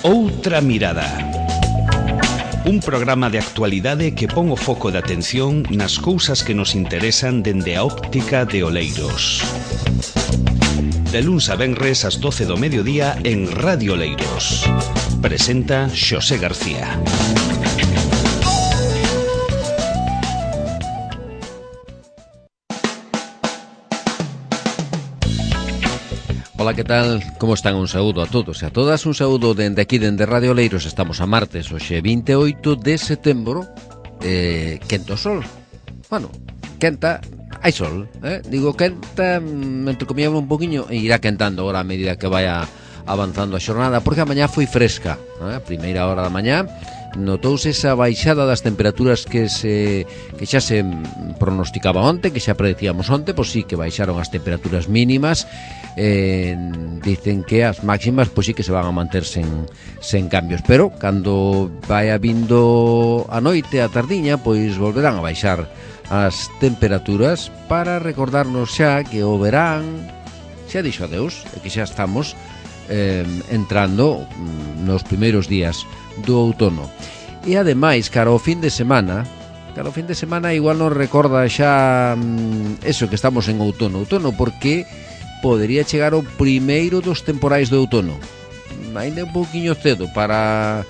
Outra mirada. Un programa de actualidade que pon o foco de atención nas cousas que nos interesan dende a óptica de Oleiros. De luns a venres ás 12 do mediodía en Radio Oleiros. Presenta Xosé García. Ola, que tal? Como están? Un saúdo a todos e a todas. Un saúdo dende aquí, dende Radio Oleiros. Estamos a martes, hoxe 28 de setembro. Quenta o sol. Bueno, quenta, hai sol, Digo quenta, entre comillas un poquinho, e irá quentando agora a medida que vaya avanzando a xornada, porque a mañá foi fresca, a primeira hora da mañá. Notouse esa baixada das temperaturas que xa se pronosticaba onte, que xa predecíamos onte, pois sí que baixaron as temperaturas mínimas. Dicen que as máximas pois sí que se van a manter sen cambios, pero cando vaya vindo a noite, a tardiña, pois volverán a baixar as temperaturas para recordarnos xa que o verán xa dixo adeus e que xa estamos entrando nos primeiros días do outono. E ademais, cara ao fin de semana igual nos recorda xa eso, que estamos en outono, porque podería chegar o primeiro dos temporais do outono. Ainda un pouquiño cedo para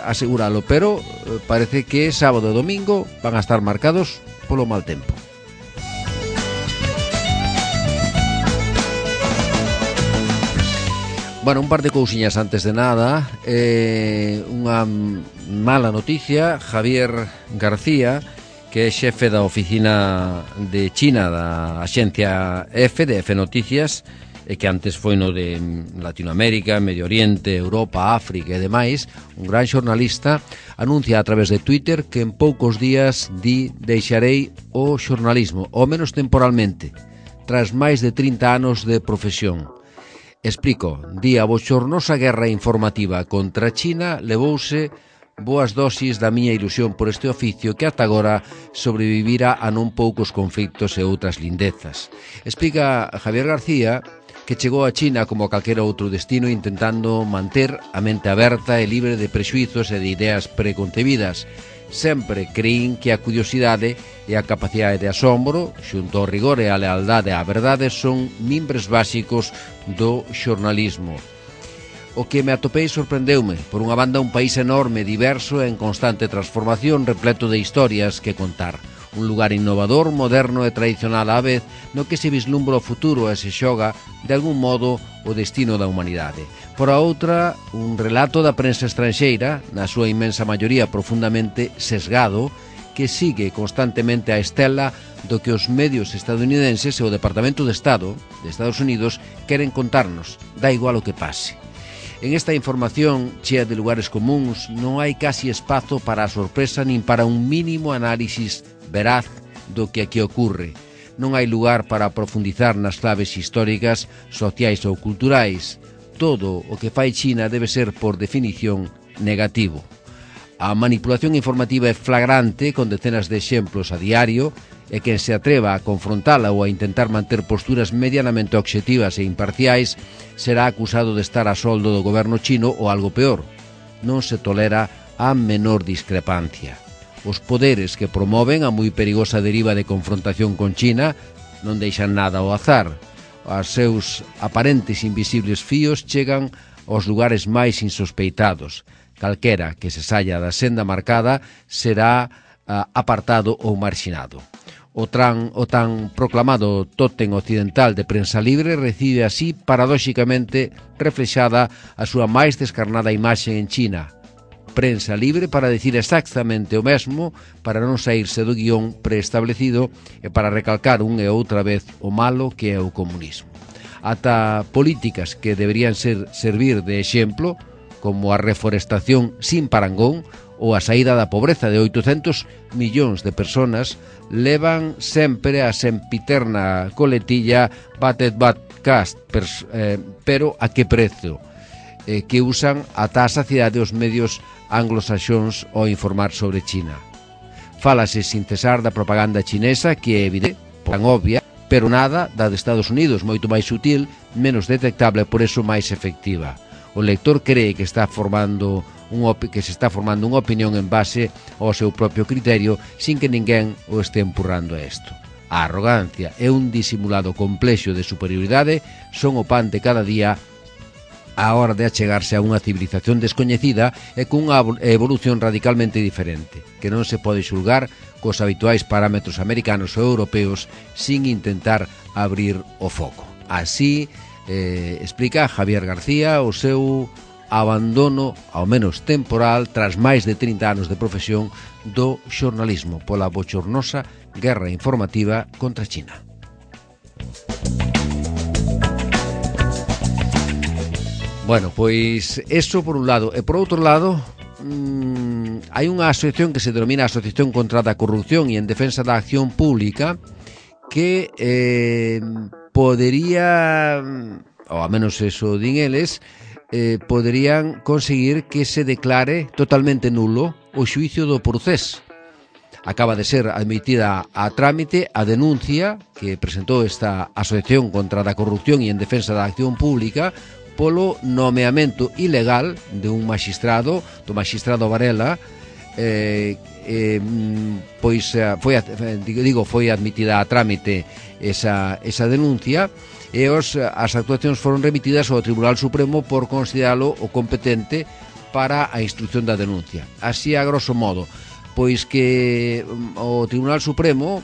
aseguralo, pero parece que sábado e domingo van a estar marcados polo mal tempo. Bueno, un par de cousiñas antes de nada. Unha mala noticia. Javier García, que é xefe da oficina de China da axencia EFE, de EFE Noticias, e que antes foi no de Latinoamérica, Medio Oriente, Europa, África e demais, un gran xornalista, anuncia a través de Twitter que en poucos días deixarei o xornalismo, ao menos temporalmente, tras máis de 30 anos de profesión. Explico, a bochornosa guerra informativa contra China levouse boas dosis da miña ilusión por este oficio que ata agora sobrevivira a non poucos conflitos e outras lindezas. Explica Javier García que chegou a China como a calquera outro destino intentando manter a mente aberta e libre de prexuizos e de ideas preconcebidas. Sempre creín que a curiosidade e a capacidade de asombro, xunto ao rigor e a lealdade á verdade, son mimbres básicos do xornalismo. O que me atopei sorprendeume. Por unha banda, un país enorme, diverso e en constante transformación, repleto de historias que contar. Un lugar innovador, moderno e tradicional á vez, no que se vislumbra o futuro e se xoga, de algún modo, o destino da humanidade. Por a outra, un relato da prensa estranxeira, na súa inmensa maioría profundamente sesgado, que sigue constantemente a estela do que os medios estadounidenses e o Departamento de Estado de Estados Unidos queren contarnos, da igual o que pase. En esta información, chea de lugares comuns, non hai casi espazo para a sorpresa nin para un mínimo análisis veraz do que aquí ocorre. Non hai lugar para profundizar nas claves históricas, sociais ou culturais. Todo o que fai China debe ser, por definición, negativo. A manipulación informativa é flagrante, con decenas de exemplos a diario, e quen se atreva a confrontala ou a intentar manter posturas medianamente obxectivas e imparciais será acusado de estar a soldo do goberno chino ou algo peor. Non se tolera a menor discrepancia. Os poderes que promoven a moi perigosa deriva de confrontación con China non deixan nada ao azar. Os seus aparentes invisibles fíos chegan aos lugares máis insospeitados. Calquera que se saia da senda marcada será apartado ou marxinado. O tan proclamado tótem occidental de prensa libre recibe así, paradóxicamente, reflexada a súa máis descarnada imaxe en China. Prensa libre para dicir exactamente o mesmo, para non saírse do guión preestablecido e para recalcar unha e outra vez o malo que é o comunismo. Ata políticas que deberían servir de exemplo, como a reforestación sin parangón ou a saída da pobreza de 800 millóns de personas, levan sempre a sempiterna coletilla Batet Batcast, pero a que prezo? Que usan ata a saciedade os medios anglosaxóns ao informar sobre China. Fálase sin cesar da propaganda chinesa, que é evidente, tan obvia, pero nada da de Estados Unidos, moito máis sutil, menos detectable, por eso máis efectiva. o lector cree que está formando que se está formando unha opinión en base ao seu propio criterio sin que ninguén o este empurrando a isto. A arrogancia e un disimulado complexo de superioridade son o pan de cada día á hora de achegarse a unha civilización descoñecida e cunha evolución radicalmente diferente, que non se pode xulgar cos habituais parámetros americanos ou europeos sin intentar abrir o foco. Así explica Javier García o seu abandono, ao menos temporal, tras máis de 30 anos de profesión do xornalismo pola bochornosa guerra informativa contra China. Bueno, pois eso por un lado. E por outro lado, hai unha asociación que se denomina Asociación contra a Corrupción e en Defensa da Acción Pública que podería, ou a menos eso din eles, poderían conseguir que se declare totalmente nulo o xuicio do Procés. Acaba de ser admitida a trámite a denuncia que presentou esta Asociación contra a Corrupción e en Defensa da Acción Pública polo nomeamento ilegal de un magistrado, do magistrado Varela, pois foi admitida a trámite esa denuncia e as actuacións foron remitidas ao Tribunal Supremo por consideralo o competente para a instrucción da denuncia. Así, a grosso modo, pois que o Tribunal Supremo,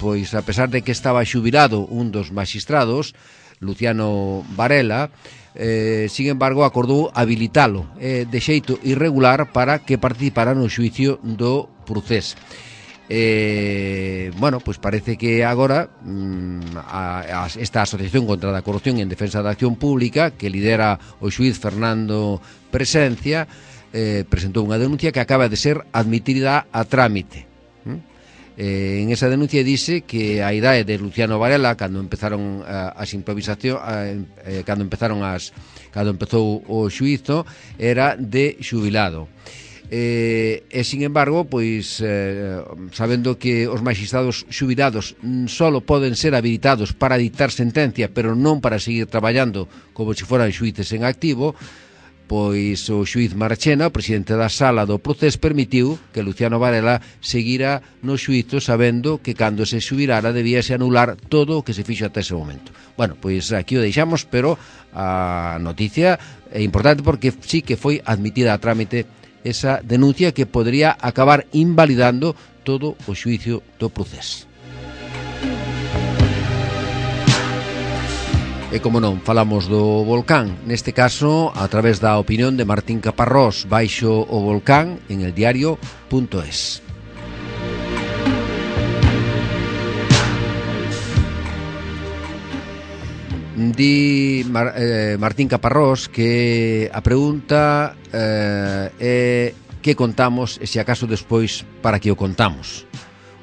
pois a pesar de que estaba xubilado un dos magistrados, Luciano Varela, sin embargo, acordou habilitalo de xeito irregular para que participara no xuicio do Procés. Bueno, pois parece que agora esta Asociación contra a Corrupción e en Defensa da Acción Pública, que lidera o xuiz Fernando Presencia, presentou unha denuncia que acaba de ser admitida a trámite. En esa denuncia dice que a idade de Luciano Varela, cando empezaron as improvisacións, cando empezou o xuízo, era de xubilado. E sin embargo, pois sabendo que os magistrados xubilados solo poden ser habilitados para dictar sentencia, pero non para seguir traballando como se foran xuíces en activo, pois o xuíz Marchena, o presidente da sala do Procés, permitiu que Luciano Varela seguira no xuízo sabendo que cando se xubilara debíase anular todo o que se fixo ata ese momento. Bueno, pois aquí o deixamos, pero a noticia é importante porque sí que foi admitida a trámite esa denuncia que podría acabar invalidando todo o xuicio do Procés. E como non, falamos do volcán, neste caso a través da opinión de Martín Caparrós baixo o volcán en eldiario.es. Di Martín Caparrós que a pregunta é que contamos e se acaso despois para que o contamos.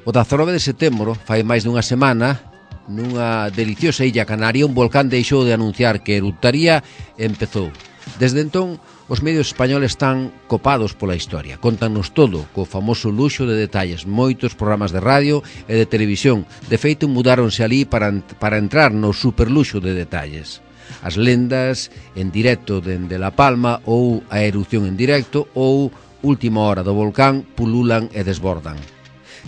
O 19 de setembro, fai máis dunha semana, nunha deliciosa illa canaria, un volcán deixou de anunciar que eruptaría e empezou. Desde entón, os medios españoles están copados pola historia. Contanos todo, co famoso luxo de detalles, moitos programas de radio e de televisión. De feito, mudáronse ali para entrar no superluxo de detalles. As lendas en directo dende La Palma ou a erupción en directo ou última hora do volcán pululan e desbordan.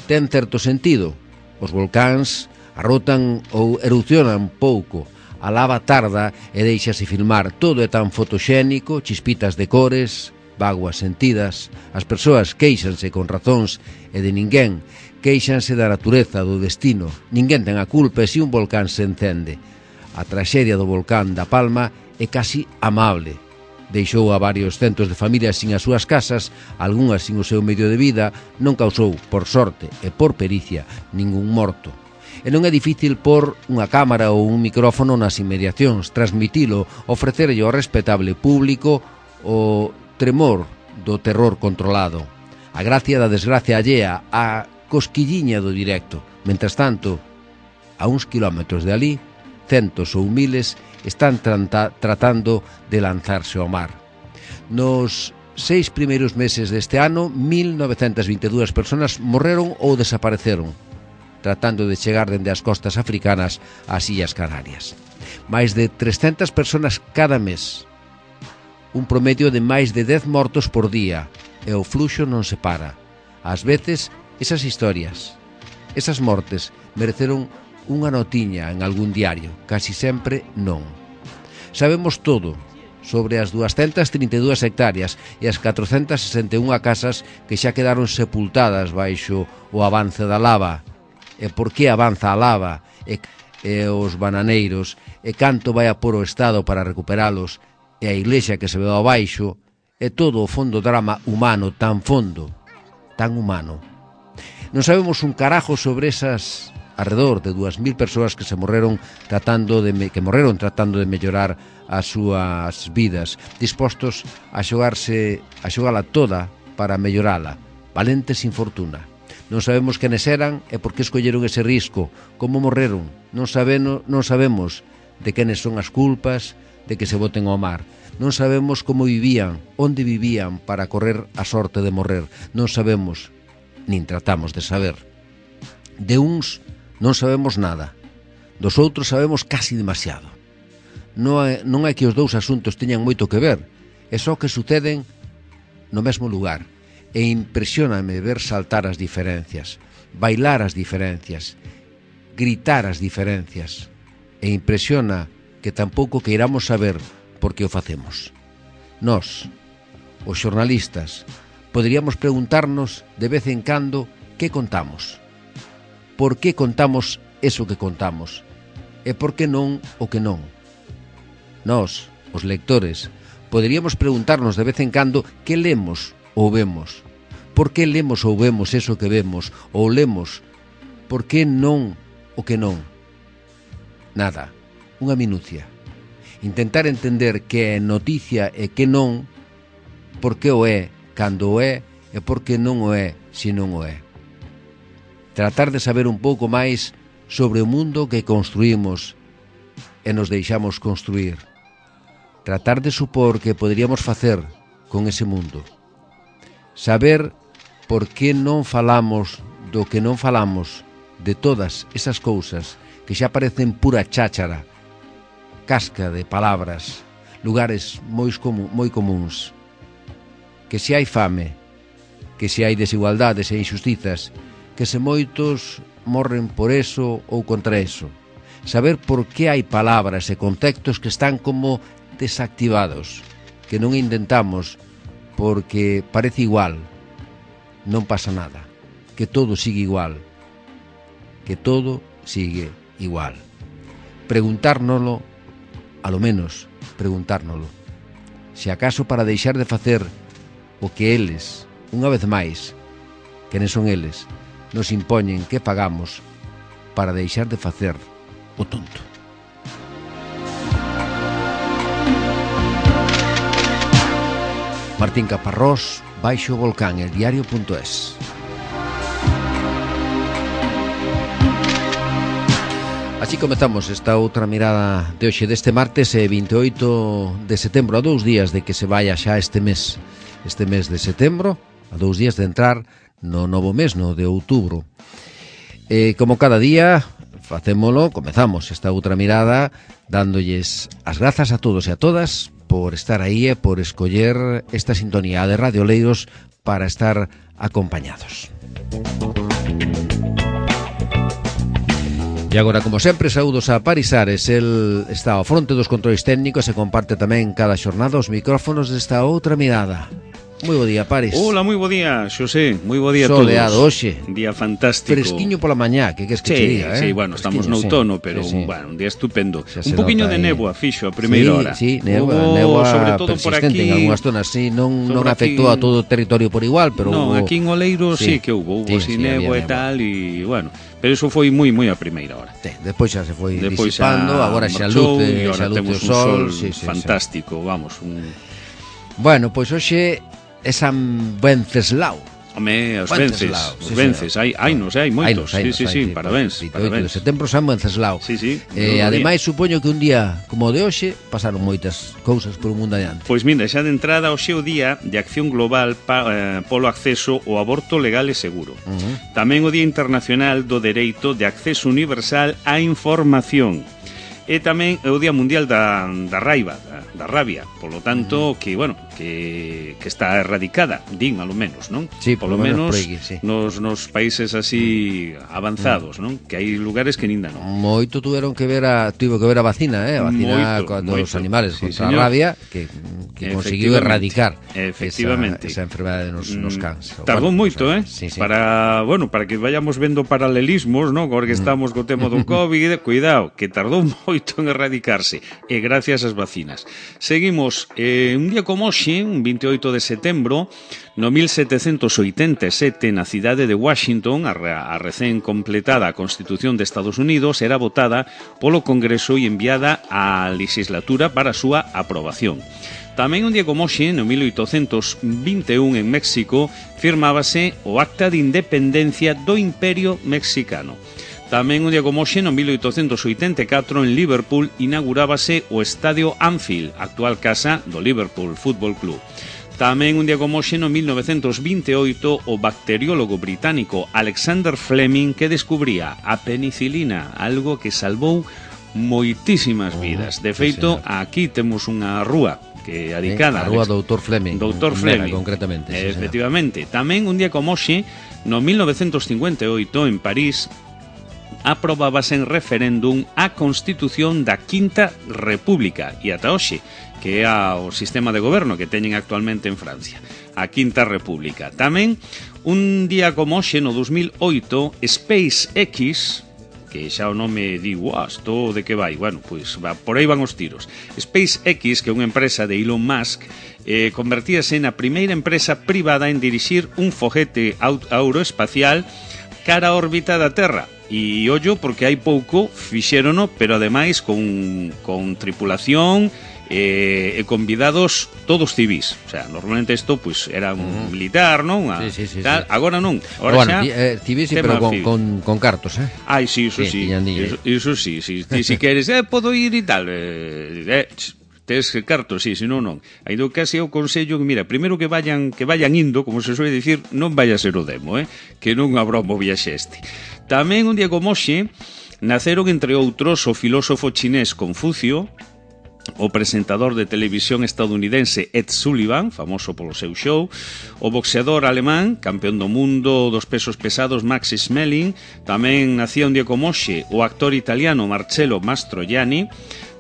Ten certo sentido. Os volcáns arrotan ou erupcionan pouco, a lava tarda e deixase filmar, todo é tan fotoxénico, chispitas de cores, vaguas sentidas, as persoas queixanse con razóns e de ninguén, queixanse da natureza, do destino, ninguén ten a culpa e se un volcán se encende. A traxedia do volcán da Palma é casi amable. Deixou a varios centos de familias sin as súas casas, algunhas sin o seu medio de vida, non causou, por sorte e por pericia, ningún morto. E non é difícil pôr unha cámara ou un micrófono nas inmediacións, transmitilo, ofrecerlle ao respetable público o tremor do terror controlado, a gracia da desgracia allea, a cosquilliña do directo. Mentras tanto, a uns kilómetros de ali, centos ou miles están tratando de lanzarse ao mar. Nos 6 primeiros meses deste ano, 1922 persoas morreron ou desapareceron, tratando de chegar dende as costas africanas ás Illas Canarias. Mais de 300 persoas cada mes. un promedio de máis de 10 mortos por día, e o fluxo non se para. Ás veces, esas historias, esas mortes, mereceron unha notiña en algún diario, casi sempre non. Sabemos todo sobre as 232 hectáreas e as 461 casas que xa quedaron sepultadas baixo o avance da lava, e por que avanza a lava, e os bananeiros, e canto vai a por o Estado para recuperalos, e a iglesia que se veu abaixo, e todo o fondo drama humano tan fondo, tan humano. Non sabemos un carajo sobre esas alrededor de 2.000 persoas que se morreron tratando de mellorar as súas vidas, dispostos a xogala toda para mellorala, valentes sin fortuna. Non sabemos quenes eran e por que escolleron ese risco, como morreron. Non sabemos de quenes son as culpas de que se boten ao mar. Non sabemos como vivían, onde vivían para correr a sorte de morrer. Non sabemos, nin tratamos de saber. De uns non sabemos nada, dos outros sabemos casi demasiado. Non é que os dous asuntos teñan moito que ver, é só que suceden no mesmo lugar. E impresióname ver saltar as diferencias, bailar as diferencias, gritar as diferencias. E impresiona que tampouco queiramos saber por que o facemos. Nós, os xornalistas, poderíamos preguntarnos de vez en cando que contamos. Por que contamos eso que contamos? E por que non o que non? Nós, os lectores, poderíamos preguntarnos de vez en cando que lemos ou vemos. Por que lemos ou vemos eso que vemos? Ou lemos por que non o que non? Nada, unha minucia. Intentar entender que é noticia e que non, por que o é cando o é e por que non o é se non o é. Tratar de saber un pouco máis sobre o mundo que construímos e nos deixamos construir. Tratar de supor que poderíamos facer con ese mundo. Saber por que non falamos do que non falamos, de todas esas cousas que xa parecen pura cháchara, casca de palabras, lugares moi comuns. Que se hai fame, que se hai desigualdades e injustizas, que se moitos morren por eso ou contra eso. Saber por que hai palabras e contextos que están como desactivados, que non intentamos porque parece igual, non pasa nada, que todo sigue igual, que todo sigue igual. Preguntárnoslo, a lo menos preguntárnoslo, se acaso para deixar de facer o que eles, unha vez máis, quenes son eles, nos impoñen que pagamos para deixar de facer o tonto. Martín Caparrós, Baixo Volcán, eldiario.es. Así comezamos esta outra mirada de hoxe deste martes 28 de setembro, a 2 días de que se vaya xa este mes de setembro, a 2 días de entrar no novo mes, no de outubro. Como cada día comezamos esta outra mirada dándolles as grazas a todos e a todas por estar aí e por escoller esta sintonía de Radio Oleiros para estar acompañados. E agora, como sempre, saúdos a Paris Ares. El está ao fronte dos controis técnicos e comparte tamén cada xornada os micrófonos desta outra mirada. Moi bo día, Paris. Hola, moi bo día, Xosé. Moi bo día a todos. Soleado hoxe. Un día fantástico. Fresquiño pola mañá, que te diga, Sí, bueno, estamos no outono, pero bueno, un día estupendo. Un poquinho de néboa fixo a primeira hora. Sí, néboa sobre todo por aquí. En algunhas zonas, sí, non afectou a todo o territorio por igual, pero non, aquí en Oleiros sí que hubo néboa e tal, e bueno, pero eso foi moi a primeira hora. Despois xa se foi disipando, agora xa luce o sol, fantástico, vamos. Bueno, pois hoxe é San Venceslao. Home, os vences, hai moitos. Sí, parabéns. 28 de setembro, San Venceslao. Sí. Ademais, supoño que un día como o de hoxe pasaron moitas cousas por o mundo adiante. Pois mira, xa de entrada hoxe o día de acción global polo acceso ao aborto legal e seguro. Tamén o Día Internacional do Dereito de Acceso Universal á Información. E tamén o Día Mundial da Raiva, da rabia, polo tanto, que, bueno, que está erradicada, din, alo menos, non? Sí, polo menos aquí, sí. nos países así avanzados, non? Que hai lugares que ninda non. Moito tivo que ver a vacina, a vacina contra os animales, sí, contra a rabia, que conseguiu erradicar esa enfermedade nos cans. Tardou moito, sí. Para que vayamos vendo paralelismos, non? Porque estamos co tema do COVID, cuidado, que tardou moito en erradicarse, e gracias ás vacinas. Seguimos, un día como hoxe, un 28 de setembro, no 1787, na cidade de Washington, a recén completada Constitución de Estados Unidos era votada polo Congreso e enviada á legislatura para a súa aprobación. Tamén un día como hoxe, no 1821, en México, firmábase o Acta de Independencia do Imperio Mexicano. Tamén un día como hoxe, no 1884, en Liverpool, inaugurábase o Estadio Anfield, actual casa do Liverpool Fútbol Club. Tamén un día como hoxe, no 1928, o bacteriólogo británico Alexander Fleming que descubría a penicilina, algo que salvou moitísimas vidas. De feito, aquí temos unha rúa que adicada a rúa Doutor Fleming, concretamente, sí, efectivamente. Tamén un día como hoxe, no 1958, en París, aprobábase en referéndum a Constitución da Quinta República e ata hoxe, que é o sistema de goberno que teñen actualmente en Francia, a Quinta República. Tamén un día como hoxe, no 2008, SpaceX, que xa o nome digo, isto de que vai? Bueno, pois por aí van os tiros. SpaceX, que é unha empresa de Elon Musk, convertíase na primeira empresa privada en dirixir un foguete aeroespacial cara á órbita da Terra. E ollo, porque hai pouco fixérono, pero ademais con tripulación e convidados todos civis. O sea, normalmente isto pues, era un militar, non? Sí. Agora non. Agora civis, sí, pero con cartos, Ai, sí, iso sí. Iso sí. Si queres, podo ir e tal. Tes cartos, sí, senón non. Ainda casi eu consello que, mira, primeiro que vayan indo, como se suele dicir, non vaya a ser o demo, que non habrá o viaxe este. Tamén un día como hoxe naceron, entre outros, o filósofo chinés Confucio, o presentador de televisión estadounidense Ed Sullivan, famoso polo seu show, o boxeador alemán, campeón do mundo dos pesos pesados Max Schmeling, tamén nacía un día como hoxe o actor italiano Marcello Mastroianni,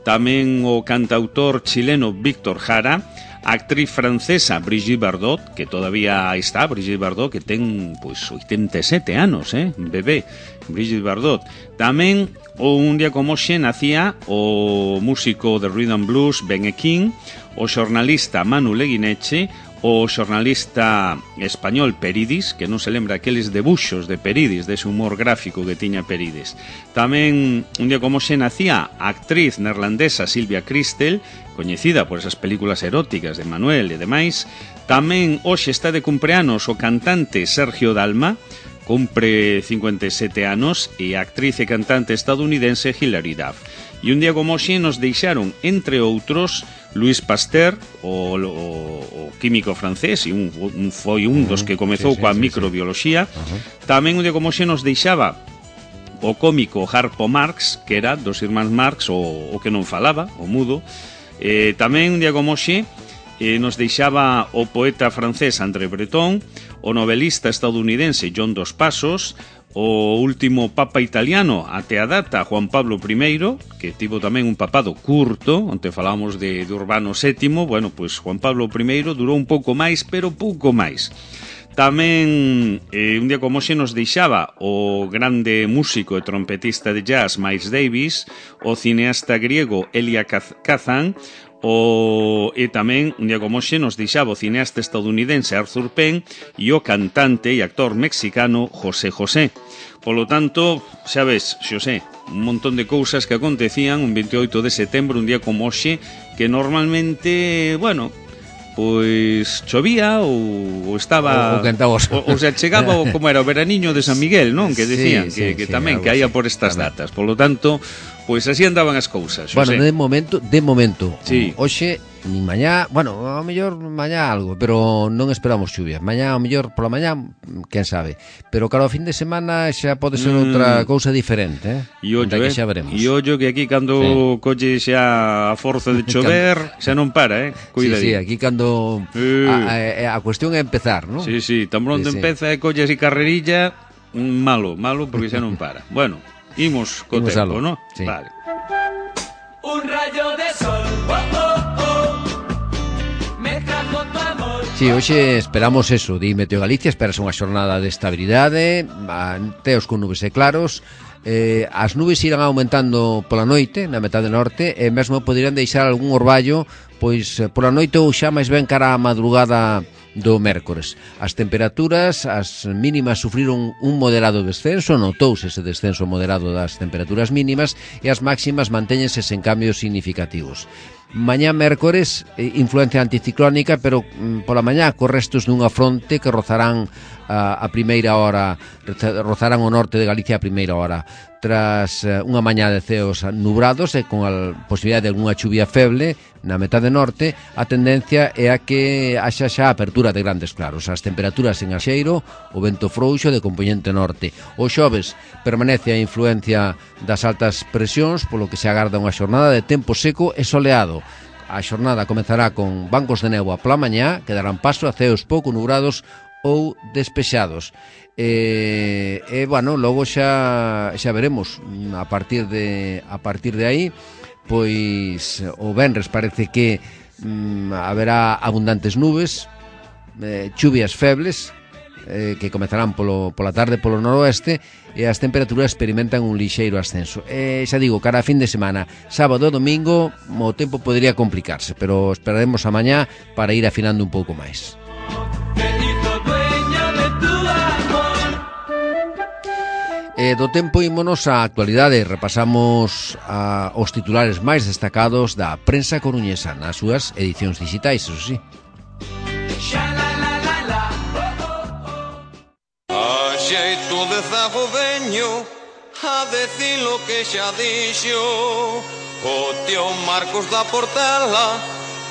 tamén o cantautor chileno Víctor Jara, a actriz francesa Brigitte Bardot, que todavía está, Brigitte Bardot, que ten pois 87 anos, bebé, Brigitte Bardot. Tamén un día como hoxe nacía o músico de rhythm and blues Ben E. King, o xornalista Manu Leguineche, o xornalista español Peridis, que non se lembra aqueles debuxos de Peridis, dese humor gráfico que tiña Peridis. Tamén un día como hoxe nacía a actriz neerlandesa Silvia Christel, coñecida por esas películas eróticas de Manuel e demais. Tamén hoxe está de cumpleanos o cantante Sergio Dalma, cumpre 57 anos, e a actriz e cantante estadounidense Hilary Duff. E un día como hoxe nos deixaron, entre outros, Louis Pasteur, o químico francés, e foi un dos que comezou coa microbioloxía. Tamén un día como hoxe nos deixaba o cómico Harpo Marx, que era dos irmáns Marx, o que non falaba, o mudo. Tamén un día como hoxe nos deixaba o poeta francés André Breton, o novelista estadounidense John Dos Passos, o último papa italiano até a data, Juan Pablo I, que tivo tamén un papado curto, onde falamos de Urbano VII. Bueno, pois Juan Pablo I durou un pouco máis, pero pouco máis. Tamén un día como hoxe nos deixaba o grande músico e trompetista de jazz Miles Davis, o cineasta griego Elia Kazan, e tamén un día como hoxe nos deixaba o cineasta estadounidense Arthur Penn e o cantante e actor mexicano José José. Polo tanto, xa ves, Xosé, un montón de cousas que acontecían un 28 de setembro, un día como hoxe, que normalmente, bueno, pois chovía ou estaba ou se chegaba como era o veraniño de San Miguel, non? Que decían que tamén que haía por estas datas. Por lo tanto, Pois así andaban as cousas, Bueno, Xosé. de momento. Sí. Hoxe, nin mañá, bueno, ao mellor mañá algo, pero non esperamos chuvia. Mañá, ao mellor, pola mañá, quen sabe. Pero claro, ao fin de semana xa pode ser outra cousa diferente, E ollo, que xa veremos. E ollo que aquí cando colle xa a forza de chover, xa non para, cuida. Sí, aquí cando a cuestión é empezar, ¿no? Sí, tan pronto empeza e colle así carrerilla, malo, porque xa non para. Bueno, imos co tempo, ¿no? Sí. Vale. Un rayo de sol, oh, oh, oh, me trajo tu amor. Sí, hoxe esperamos eso, di Meteo Galicia, esperas unha xornada de estabilidade, teos con nubes e claros, as nubes irán aumentando pola noite, na metade norte, e mesmo poderían deixar algún orballo, pois pola noite ou xa máis ben cara á madrugada do mércores. As temperaturas, as mínimas sufriron un moderado descenso, notouse ese descenso moderado das temperaturas mínimas, e as máximas mantéñense sen cambios significativos. Mañá mércores, influencia anticiclónica, pero pola mañá co restos dunha fronte que rozarán a primeira hora, rozarán o norte de Galicia a primeira hora. Tras unha mañá de ceos nubrados e con a posibilidade de algunha chuvia feble na metade norte, a tendencia é a que haxa xa apertura de grandes claros. As temperaturas en Axeiro, o vento frouxo de compoñente norte. O xoves permanece a influencia das altas presións, polo que se agarda unha xornada de tempo seco e soleado. A xornada comezará con bancos de néboa pola mañá, que darán paso a ceos pouco nubrados ou despexados. Bueno, logo xa veremos a partir de aí, pois o venres parece que haberá abundantes nubes, chuvias febles, que comezarán pola tarde polo noroeste, e as temperaturas experimentan un lixeiro ascenso. Xa digo, cara a fin de semana, sábado e domingo, o tempo podría complicarse, pero esperaremos a mañá para ir afinando un pouco máis. Do tempo ímonos á actualidade, repasamos os titulares máis destacados da prensa coruñesa nas súas edicións digitais, eso sí. A xeito de zago veño a decir lo que xa dixo o tío Marcos da Portela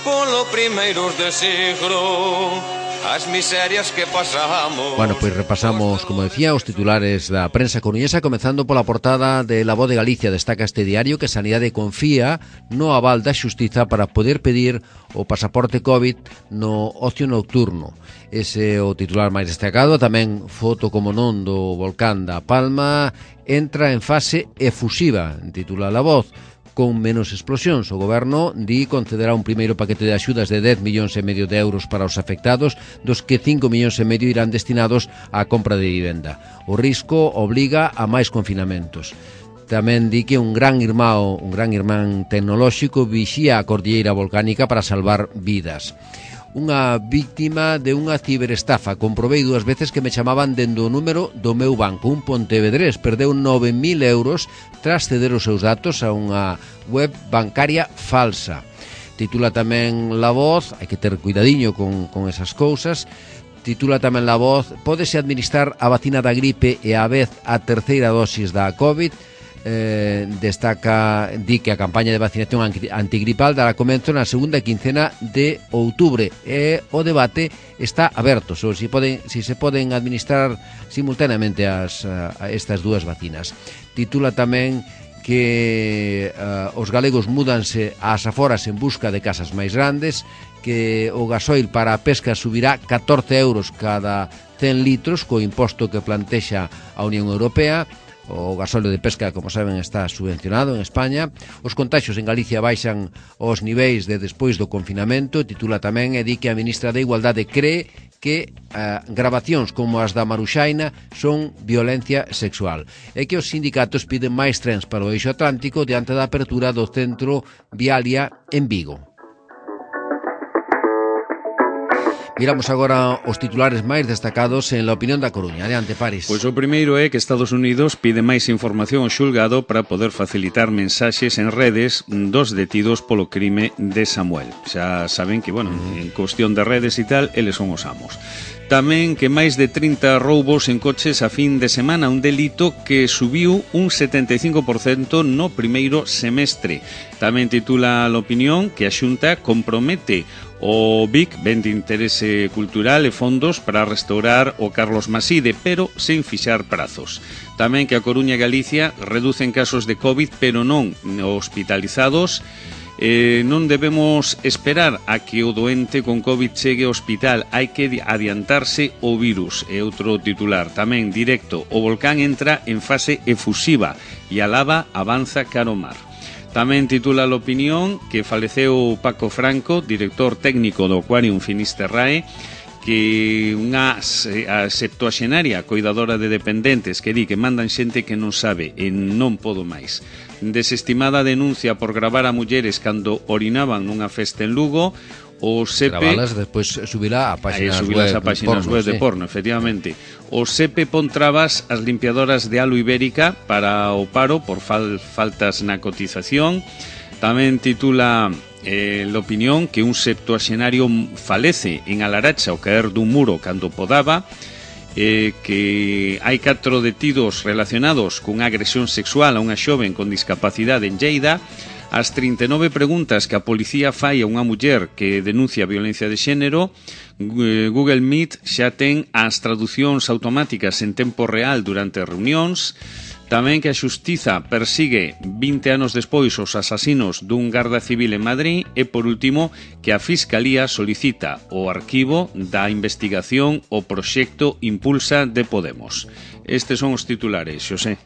polo primeiros de siglo. As miserias que pasamos. Bueno, pois repasamos, como decía, os titulares da prensa coruñesa, comezando pola portada de La Voz de Galicia. Destaca este diario que Sanidade confía no aval da xustiza para poder pedir o pasaporte COVID no ocio nocturno. Ese é o titular máis destacado. Tamén foto, como non, do volcán da Palma entra en fase efusiva, titula La Voz. Con menos explosións, o goberno concederá un primeiro paquete de axudas de 10,5 millóns de euros para os afectados, dos que 5,5 millóns irán destinados á compra de vivenda. O risco obliga a máis confinamentos. Tamén di que un gran irmán tecnolóxico vixía a cordilleira volcánica para salvar vidas. Unha víctima de unha ciberestafa. Comprobei 2 veces que me chamaban dende o número do meu banco. Un pontevedrés perdeu 9.000 euros tras ceder os seus datos a unha web bancaria falsa. Titula tamén La Voz, hai que ter cuidadiño con esas cousas. Titula tamén La Voz, pódese administrar a vacina da gripe e a vez a terceira dosis da COVID. Di que a campaña de vacinación antigripal dará comenzo na segunda quincena de outubro e o debate está aberto sobre si se poden administrar simultaneamente a estas dúas vacinas. Titula tamén que os galegos múdanse ás aforas en busca de casas máis grandes, que o gasoil para a pesca subirá 14 euros cada 100 litros co imposto que plantexa a Unión Europea. O gasóleo de pesca, como saben, está subvencionado en España. Os contaxios en Galicia baixan aos niveis de despois do confinamento. Titula tamén e di que a ministra de Igualdade cree que grabacións como as da Maruxaina son violencia sexual e que os sindicatos piden máis trens para o eixo atlántico diante da apertura do centro Vialia en Vigo. Miramos agora os titulares máis destacados en La Opinión da Coruña. Adiante, Paris. Pois o primeiro é que Estados Unidos pide máis información ao xulgado para poder facilitar mensaxes en redes dos detidos polo crime de Samuel. Xa saben que, en cuestión de redes e tal, eles son os amos. tamén que máis de 30 roubos en coches a fin de semana, un delito que subiu un 75% no primeiro semestre. Tamén titula l'opinión que a Xunta compromete o BIC, ben de interese cultural e fondos para restaurar o Carlos Maside, pero sen fixar prazos. Tamén que a Coruña e Galicia reducen casos de COVID, pero non hospitalizados. Non debemos esperar a que o doente con COVID chegue ao hospital, hai que adiantarse o virus. É outro titular. Tamén directo, o volcán entra en fase efusiva e a lava avanza cara ao mar. Tamén titula l'opinión que faleceu Paco Franco, director técnico do Aquarium Finisterrae, que unha septuaxenaria coidadora de dependentes que di que mandan xente que non sabe e non podo máis. Desestimada denuncia por gravar a mulleres cando orinaban nunha festa en Lugo. O SEPE... Gravalas, despois subirá a páxinas web de porno, efectivamente. O SEPE pon trabas as limpiadoras de halo ibérica para o paro por faltas na cotización. Tamén titula l'opinión que un septuaxenario falece en Alaracha ao caer dun muro cando podaba. Que hai 4 detidos relacionados cunha agresión sexual a unha xoven con discapacidade en Lleida. As 39 preguntas que a policía fai a unha muller que denuncia violencia de xénero. Google Meet xa ten as traducións automáticas en tempo real durante as reunións. Tamén que a xustiza persigue 20 anos despois os asasinos dun garda civil en Madrid. E, por último, que a Fiscalía solicita o arquivo da investigación o proxecto Impulsa de Podemos. Estes son os titulares, Xosé.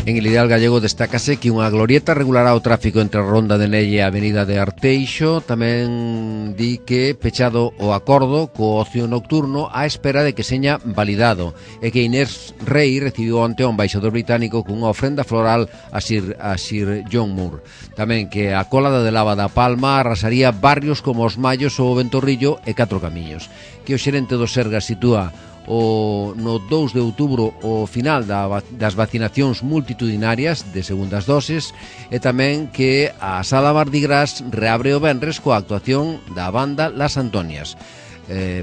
En El Ideal Gallego destácase que unha glorieta regulará o tráfico entre a Ronda de Nelle e a Avenida de Arteixo. Tamén di que pechado o acordo co ocio nocturno á espera de que seña validado, e que Inés Rei recibiu onte o embaixador británico cunha ofrenda floral a Sir John Moore. Tamén que a colada de lava da Palma arrasaría barrios como os Mallos ou o Ventorrillo e Catro Camiños. Que o xerente do Sergas sitúa no 2 de outubro o final das vacinacións multitudinarias de segundas doses, e tamén que a Sala Mardi Gras reabre o venres coa actuación da banda Las Antonias.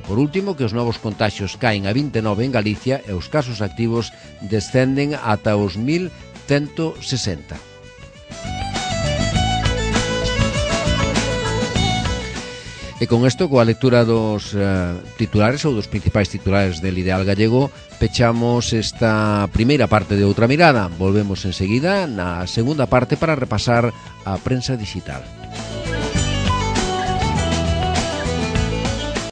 Por último, que os novos contaxios caen a 29 en Galicia e os casos activos descenden ata os 1160. E con isto, coa lectura dos titulares ou dos principais titulares del Ideal Gallego, pechamos esta primeira parte de Outra Mirada. Volvemos enseguida na segunda parte para repasar a prensa digital.